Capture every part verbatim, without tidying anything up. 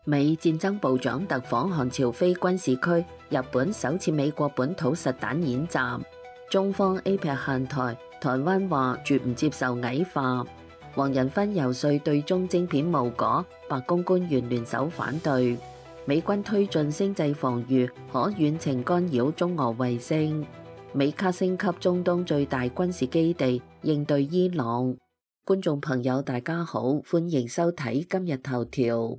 美戰爭部長特訪韓朝非軍事區，日本首次美國本土實彈演習。中方 A P E C 限台，台灣話絕唔接受矮化。黃仁勳游說對中晶片無果，白宮官員聯手反對。美軍推進星際防禦，可遠程干擾中俄衛星。美卡升級中東最大軍事基地，應對伊朗。觀眾朋友大家好，歡迎收睇今日頭條。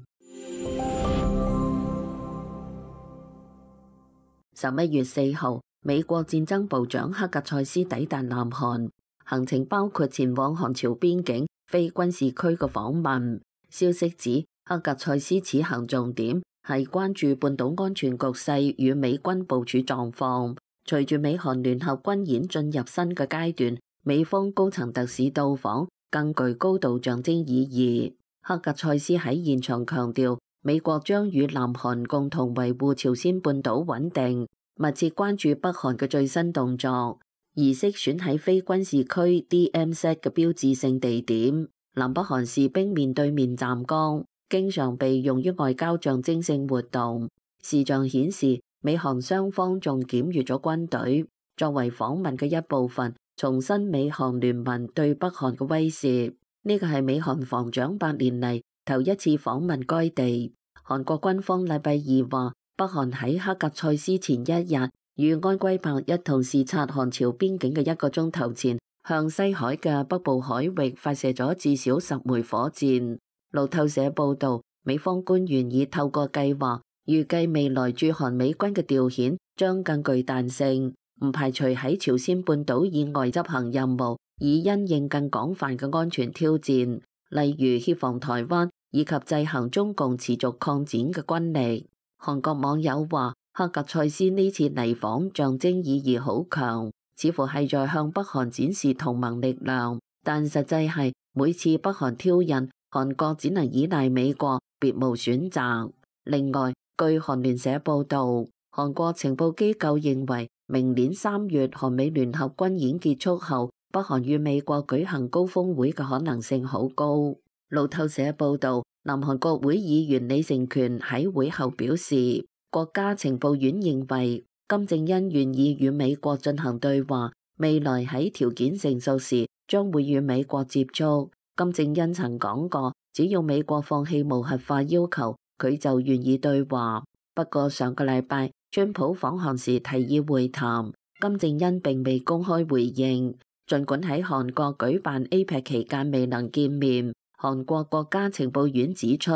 十一月四號，美國戰爭部長克格塞斯抵達南韓，行程包括前往韓朝邊境非軍事區嘅訪問。消息指，克格塞斯此行重點係關注半島安全局勢與美軍部署狀況。隨住美韓聯合軍演進入新嘅階段，美方高層特使到訪更具高度象徵意義。克格塞斯喺現場強調，美國將與南韓共同維護朝鮮半島穩定，密切關注北韓嘅最新動作。儀式選喺非軍事區 D M Z 嘅標誌性地點，南北韓士兵面對面站崗，經常被用於外交象徵性活動。視像顯示，美韓雙方仲檢閱咗軍隊，作為訪問嘅一部分，重申美韓聯盟對北韓嘅威懾。呢個係美韓防長八年嚟頭一次訪問該地。韓國軍方禮拜二話，北韓喺克格塞斯前一日與安圭柏一同視察韓朝邊境嘅一個鐘頭前，向西海嘅北部海域發射咗至少十枚火箭。路透社報道，美方官員已透過計劃，預計未來駐韓美軍嘅調遣將更具彈性，唔排除喺朝鮮半島以外執行任務，以因應更廣泛嘅安全挑戰，例如協防台灣以及制衡中共持續擴展嘅軍力。韓國網友話，克格塞斯呢次嚟訪象徵意義好強，似乎係在向北韓展示同盟力量，但實際係每次北韓挑釁，韓國只能依賴美國，別無選擇。另外，據韓聯社報導，韓國情報機構認為，明年三月韓美聯合軍演結束後，北韓與美國舉行高峰會嘅可能性好高。路透社報導，南韓國會議員李成權喺會後表示，國家情報院認為金正恩願意與美國進行對話，未來喺條件成熟時將會與美國接觸。金正恩曾講過，只要美國放棄無核化要求，佢就願意對話。不過上個禮拜，川普訪韓時提議會談，金正恩並未公開回應。儘管喺韓國舉辦 A P E C 期間未能見面，韓國國家情報院指出，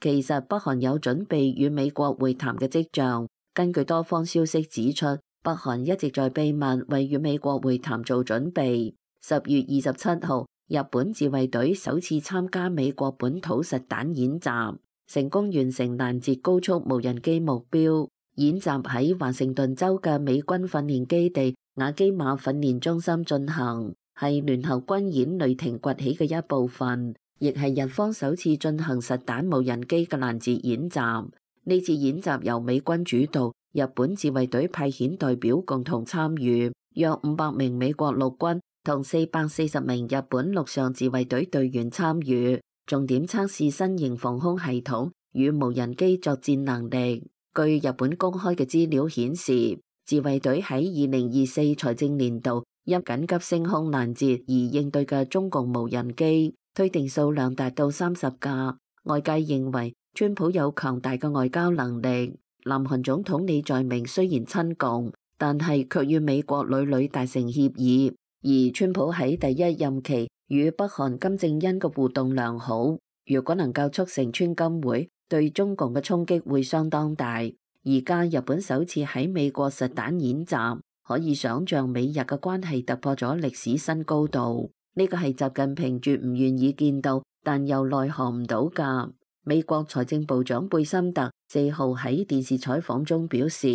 其實北韓有準備與美國會談嘅跡象。根據多方消息指出，北韓一直在秘密為與美國會談做準備。十月二十七號，日本自衛隊首次參加美國本土實彈演習，成功完成攔截高速無人機目標。演習喺華盛頓州嘅美軍訓練基地雅基馬訓練中心進行，係聯合軍演雷霆崛起嘅一部分，亦係日方首次進行實彈無人機嘅攔截演習。呢次演習由美軍主導，日本自衛隊派遣代表共同參與，約五百名美國陸軍同四百四十名日本陸上自衛隊隊員參與，重點測試新型防空系統與無人機作戰能力。據日本公開嘅資料顯示，自衛隊喺二零二四財政年度因緊急升空攔截而應對嘅中共無人機推定數量達到三十架。外界認為川普有強大嘅外交能力。南韓總統李在明雖然親共，但係卻與美國屢屢達成協議。而川普喺第一任期與北韓金正恩嘅互動良好，如果能夠促成川金會，對中共嘅衝擊會相當大。而家日本首次喺美國實彈演習，可以想象美日嘅關係突破咗歷史新高度。呢個係習近平絕唔願意見到，但又奈何唔到㗎。美國財政部長貝森特四號喺電視採訪中表示，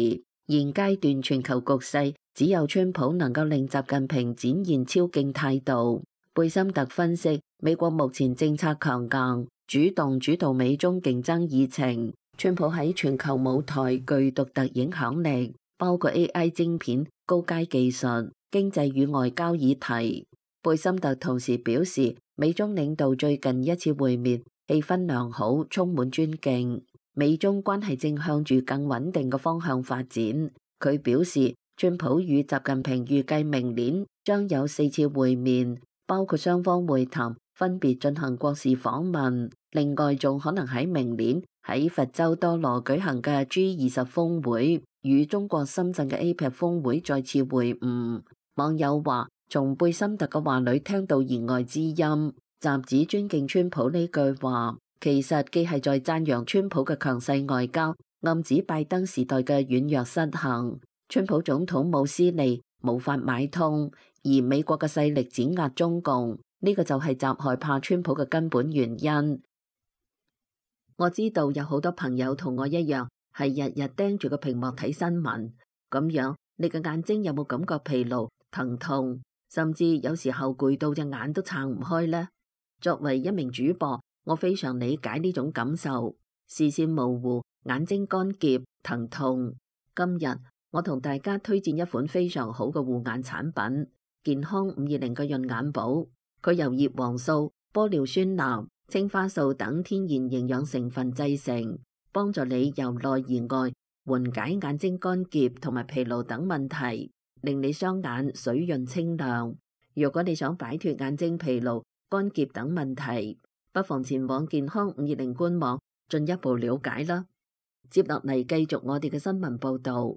現階段全球局勢只有川普能夠令習近平展現超勁態度。貝森特分析，美國目前政策強硬，主動主導美中競爭議程。川普喺全球舞台具獨特影響力，包括 A I 晶片、高階技術、經濟與外交議題。貝森特同時表示，美中領導最近一次會面氣氛良好，充滿尊敬。美中關係正向住更穩定嘅方向發展。佢表示，川普與習近平預計明年將有四次會面，包括雙方會談，分別進行國事訪問。另外，仲可能喺明年喺佛州多羅舉行嘅 G 二十峰會，與中國深圳嘅 A P E C 峰會再次會晤。網友話，從貝森特嘅話裏聽到言外之音。習指尊敬川普呢句話，其實既係在讚揚川普嘅強勢外交，暗指拜登時代嘅軟弱失衡。川普總統冇私利，無法買通，而美國嘅勢力碾壓中共，呢、這個就係習害怕川普嘅根本原因。我知道有好多朋友同我一樣，係日日盯住個屏幕睇新聞，咁樣你嘅眼睛有冇感覺疲勞、疼痛，甚至有時候攰到隻眼都撐唔開呢？作為一名主播，我非常理解呢種感受，視線模糊、眼睛乾澀、疼痛。今日我同大家推薦一款非常好嘅護眼產品——健康五二零嘅潤眼寶。佢由葉黃素、玻尿酸鈉、青花素等天然營養成分製成，幫助你由內而外緩解眼睛乾澀同埋疲勞等問題，令你雙眼水潤清亮。如果你想擺脫眼睛疲勞、乾澀等問題，不妨前往健康五二零官網進一步了解啦。接落嚟繼續我哋嘅新聞報道。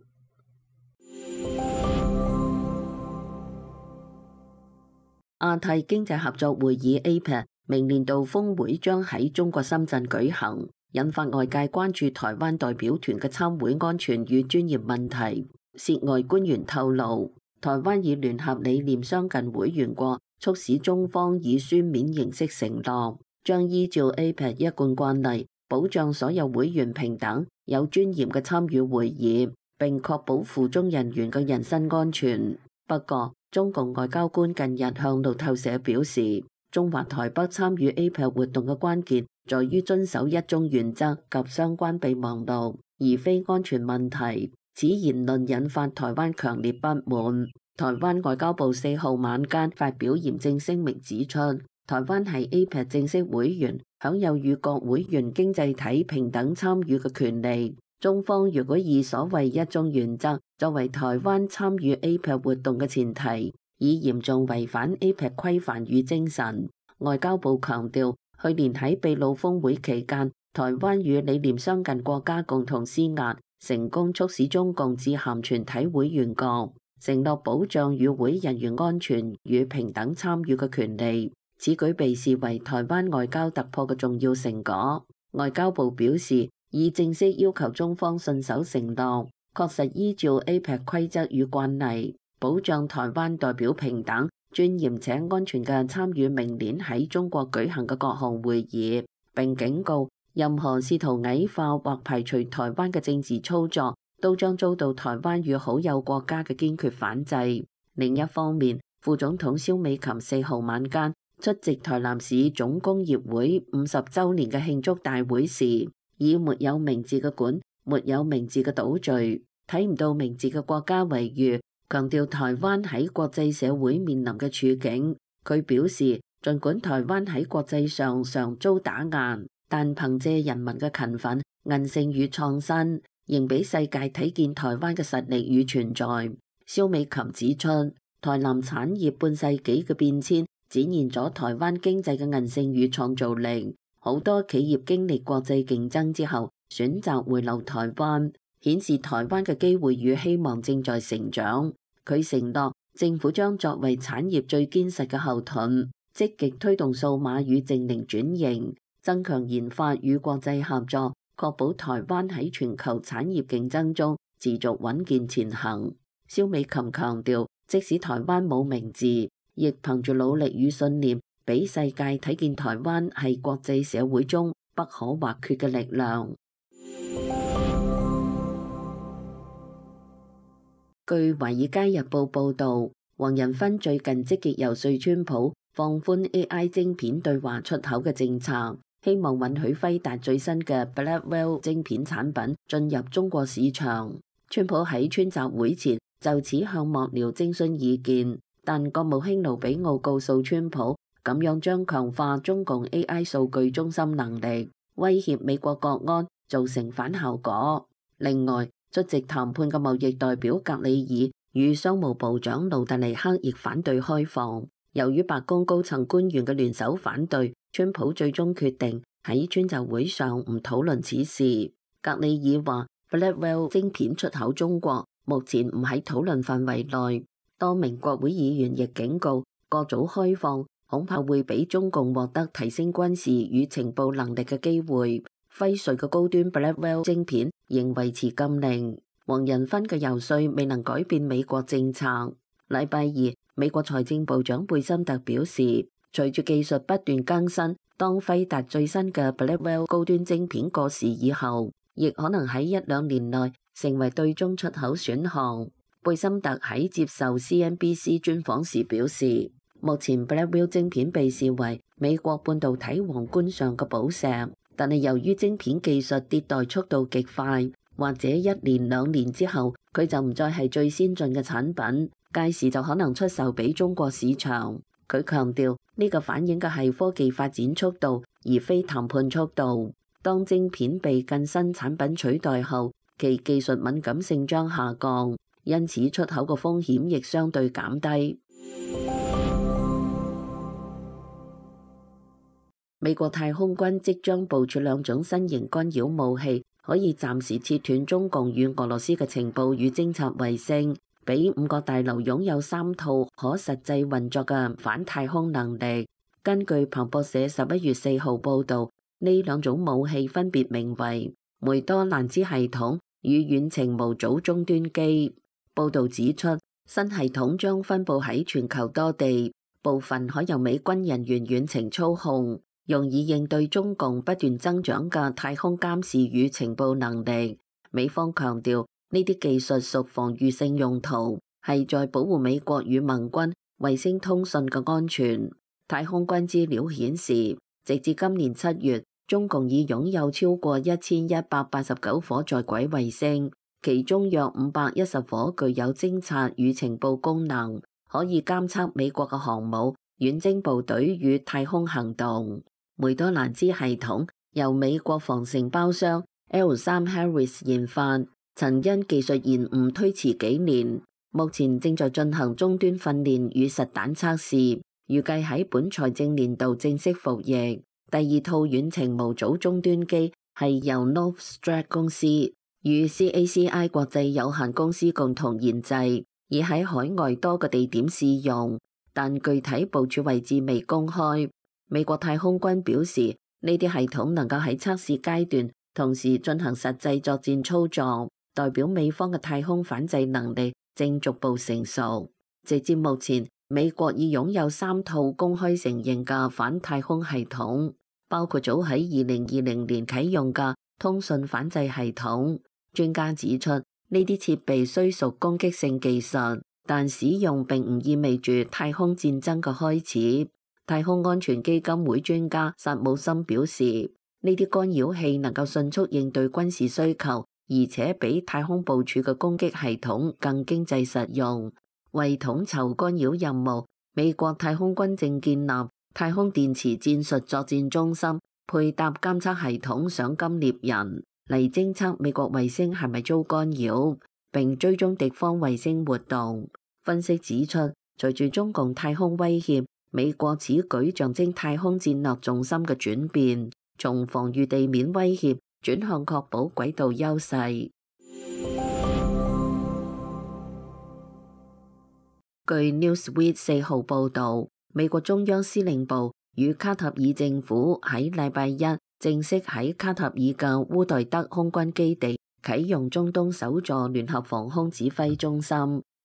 亞太經濟合作會議 A P E C 明年度峰會將喺中國深圳舉行，引發外界關注台灣代表團嘅參會安全與專業問題。涉外官員透露，台灣以聯合理念相近會員國促使中方以書面形式承諾，將依照 A P E C 一貫慣例，保障所有會員平等、有尊嚴嘅參與會議，並確保赴中人員嘅人身安全。不過，中共外交官近日向路透社表示，中華台北參與 A P E C 活動嘅關鍵在於遵守一中原則及相關備忘錄，而非安全問題。此言論引發台灣強烈不滿。台灣外交部四號晚間發表嚴正聲明，指出台灣係 A P E C 正式會員，享有與各會員經濟體平等參與嘅權利。中方如果以所謂一中原則作為台灣參與 A P E C 活動嘅前提，已嚴重違反 A P E C 規範與精神。外交部強調，去年喺秘魯峰會期間，台灣與理念相近國家共同施壓，成功促使中共致函全體會員國，承諾保障與會人員安全與平等參與嘅權利。此舉被視為台灣外交突破嘅重要成果。外交部表示，已正式要求中方信守承諾，確實依照 A P E C 規則與慣例，保障台灣代表平等、尊嚴且安全嘅參與明年喺中國舉行嘅各項會議，並警告任何試圖矮化或排除台灣嘅政治操作，都將遭到台灣與好友國家嘅堅決反制。另一方面，副總統蕭美琴四號晚間出席台南市總工業會五十週年嘅慶祝大會時，以沒有名字嘅館、沒有名字嘅島嶼、睇唔到名字嘅國家為喻，強調台灣喺國際社會面臨嘅處境。佢表示，儘管台灣喺國際上常遭打壓，但憑借人民嘅勤奮、韌性與創新，仍俾世界睇見台灣嘅實力與存在。蕭美琴指出，台南產業半世紀嘅變遷，展現咗台灣經濟嘅韌性與創造力。好多企業經歷國際競爭之後，選擇回流台灣，顯示台灣嘅機會與希望正在成長。佢承諾，政府將作為產業最堅實嘅後盾，積極推動數碼與淨零轉型，增強研發與國際合作，確保台灣喺全球產業競爭中持續穩健前行。蕭美琴強調，即使台灣冇名字，亦憑住努力與信念，俾世界睇見台灣係國際社會中不可或缺嘅力量。據《華爾街日報》報導，黃仁勳最近積極遊說川普放寬 A I 晶片對華出口嘅政策，希望允許輝達最新嘅 Blackwell 晶片產品進入中國市場。川普喺川習會前就此向幕僚徵詢意見，但國務卿盧比奧告訴川普，咁樣將強化中共 A I 數據中心能力，威脅美國國安，造成反效果。另外，出席談判嘅貿易代表格里爾與商務部長盧特尼克亦反對開放。由於白宮高層官員嘅聯手反對，川普最終決定喺川習會上唔討論此事。格里爾話 Blackwell 晶片出口中國目前唔喺討論範圍內。多名國會議員亦警告，過早開放恐怕會俾中共獲得提升軍事與情報能力嘅機會。輝瑞嘅高端 Blackwell 晶片仍維持禁令。黃仁勳嘅遊說未能改變美國政策。禮拜二，美國財政部長貝森特表示，隨住技術不斷更新，當輝達最新嘅 Blackwell 高端晶片過時以後，亦可能喺一兩年內成為對中出口選項。貝森特喺接受 C N B C 專訪時表示，目前 Blackwell 晶片被視為美國半導體皇冠上嘅寶石，但係由於晶片技術迭代速度極快，或者一年兩年之後佢就唔再係最先進嘅產品，屆時就可能出售俾中國市場。佢強調呢個反映嘅係科技發展速度，而非談判速度。當晶片被更新產品取代後，其技術敏感性將下降，因此出口嘅風險亦相對減低。美國太空軍即將部署兩種新型干擾武器，可以暫時切斷中共與俄羅斯嘅情報與偵察衛星，俾五角大樓擁有三套可實際運作嘅反太空能力。根據彭博社十一月四號報導，呢兩種武器分別名為梅多蘭茲系統與遠程模組終端機。報導指出，新系統將分佈喺全球多地，部分可由美軍人員遠程操控，用以應對中共不斷增長嘅太空監視與情報能力。美方強調，呢啲技術屬防禦性用途，係在保護美國與盟軍衛星通訊嘅安全。太空軍資料顯示，直至今年七月，中共已擁有超過一千一百八十九顆在軌衛星，其中約五百一十顆具有偵察與情報功能，可以監測美國嘅航母、遠征部隊與太空行動。梅多蘭茲系統由美國防承包商 L 三 Harris 研發，曾因技術延誤推遲幾年，目前正在進行終端訓練與實彈測試。預計喺本財政年度正式服役。第二套遠程模組終端機係由 Novstrat 公司與 C A C I 國際有限公司共同研製，已喺海外多個地點試用，但具體部署位置未公開。美國太空軍表示，呢啲系統能夠喺測試階段同時進行實際作戰操作，代表美方嘅太空反制能力正逐步成熟。直至目前，美國已擁有三套公開承認嘅反太空系統，包括早喺二零二零年啟用嘅通訊反制系統。專家指出，呢啲設備雖屬攻擊性技術，但使用並唔意味住太空戰爭嘅開始。太空安全基金會專家薩姆森表示，呢啲干擾器能夠迅速應對軍事需求，而且比太空部署嘅攻擊系統更經濟實用。為統籌干擾任務，美國太空軍正建立太空電磁戰術作戰中心，配搭監測系統賞金獵人嚟偵測美國衛星係咪遭干擾，並追蹤敵方衛星活動。分析指出，隨住中共太空威脅，美國此舉象徵太空戰略重心嘅轉變，從防禦地面威脅轉向確保軌道優勢。據 Newsweek 四號報導，美國中央司令部與卡塔爾政府喺禮拜一正式喺卡塔爾嘅烏代德空軍基地啟用中東首座聯合防空指揮中心，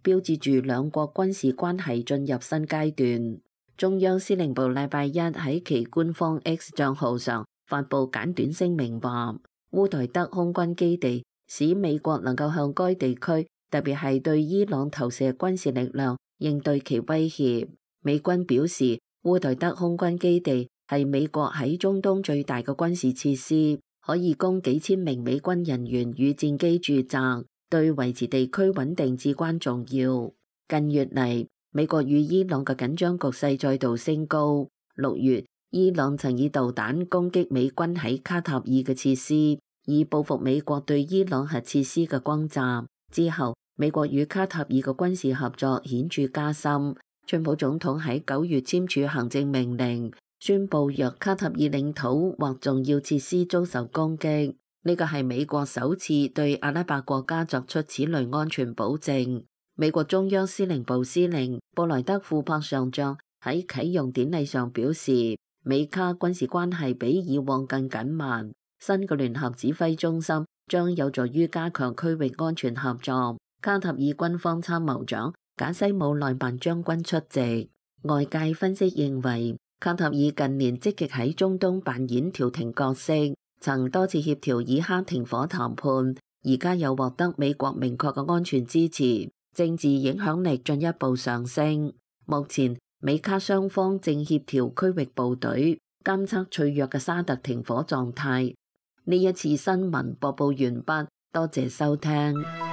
標誌住兩國軍事關係進入新階段。中央司令部禮拜一喺其官方 X 帳號上發布簡短聲明話，烏代德空軍基地使美國能夠向該地區，特別係對伊朗投射軍事力量，應對其威脅。美軍表示，烏代德空軍基地係美國喺中東最大嘅軍事設施，可以供幾千名美軍人員與戰機駐紮，對維持地區穩定至關重要。近月嚟，美國與伊朗嘅緊張局勢再度升高。六月，伊朗曾以導彈攻擊美軍喺卡塔爾嘅設施，以報復美國對伊朗核設施嘅轟炸。之後，美國與卡塔爾嘅軍事合作顯著加深。川普總統喺九月簽署行政命令，宣布若卡塔爾領土或重要設施遭受攻擊，呢個係美國首次對阿拉伯國家作出此類安全保證。美國中央司令部司令布萊德庫珀上將喺啟用典禮上表示，美卡軍事關係比以往更緊密。新嘅聯合指揮中心將有助於加強區域安全合作。卡塔爾軍方參謀長賈西姆內曼將軍出席。外界分析認為，卡塔爾近年積極喺中東扮演調停角色，曾多次協調以哈停火談判，而家又獲得美國明確嘅安全支持，政治影響力進一步上升。目前美卡雙方正協調區域部隊，監測脆弱嘅沙特停火狀態。呢一次新聞播報完畢，多謝收聽。